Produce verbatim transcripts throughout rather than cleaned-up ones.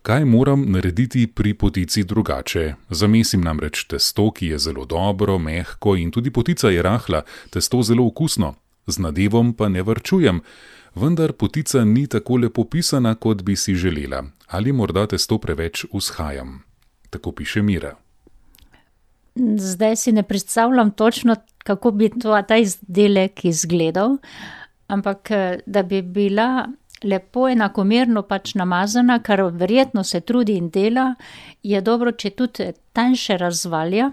Kaj moram narediti pri potici drugače? Zamesim namreč testo, ki je zelo dobro, mehko in tudi potica je rahla, testo zelo okusno. Z nadevom pa ne varčujem, vendar potica ni tako lepo pisana, kot bi si želela. Ali morda testo preveč vzhajam? Tako piše Mira. Zdaj si ne predstavljam točno, kako bi to, ta izdelek izgledal, ampak da bi bila lepo enakomerno pač namazana, kar verjetno se trudi in dela, je dobro, če tudi tanjše razvalja.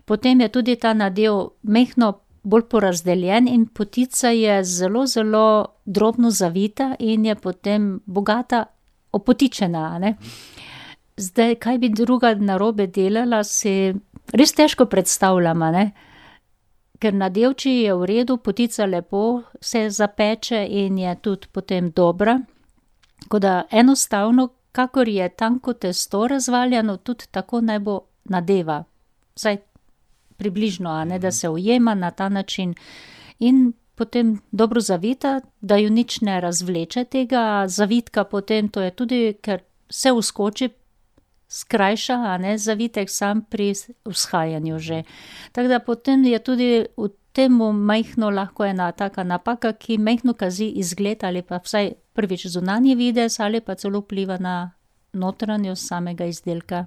Potem je tudi ta nadev mehko bolj porazdeljen in potica je zelo, zelo drobno zavita in je potem bogata opotičena, a ne. Zdaj, kaj bi druga narobe delala, si res težko predstavljam, a ne. Ker nadevči je v redu, potica lepo se zapeče in je tudi potem dobra. Tako da enostavno, kakor je tanko testo razvaljano, tudi tako naj bo nadeva. Vsaj približno, a ne, da se ujema na ta način. In potem dobro zavita, da ju nič ne razvleče tega zavitka potem, to je tudi, ker se vskoči, skrajša, a ne, zavitek sam pri vzhajanju že. Tako da potem je tudi v temu majhno lahko ena taka napaka, ki majhno kazi izgled ali pa vsaj prvič zunanji videz ali pa celo vpliva na notranjost samega izdelka.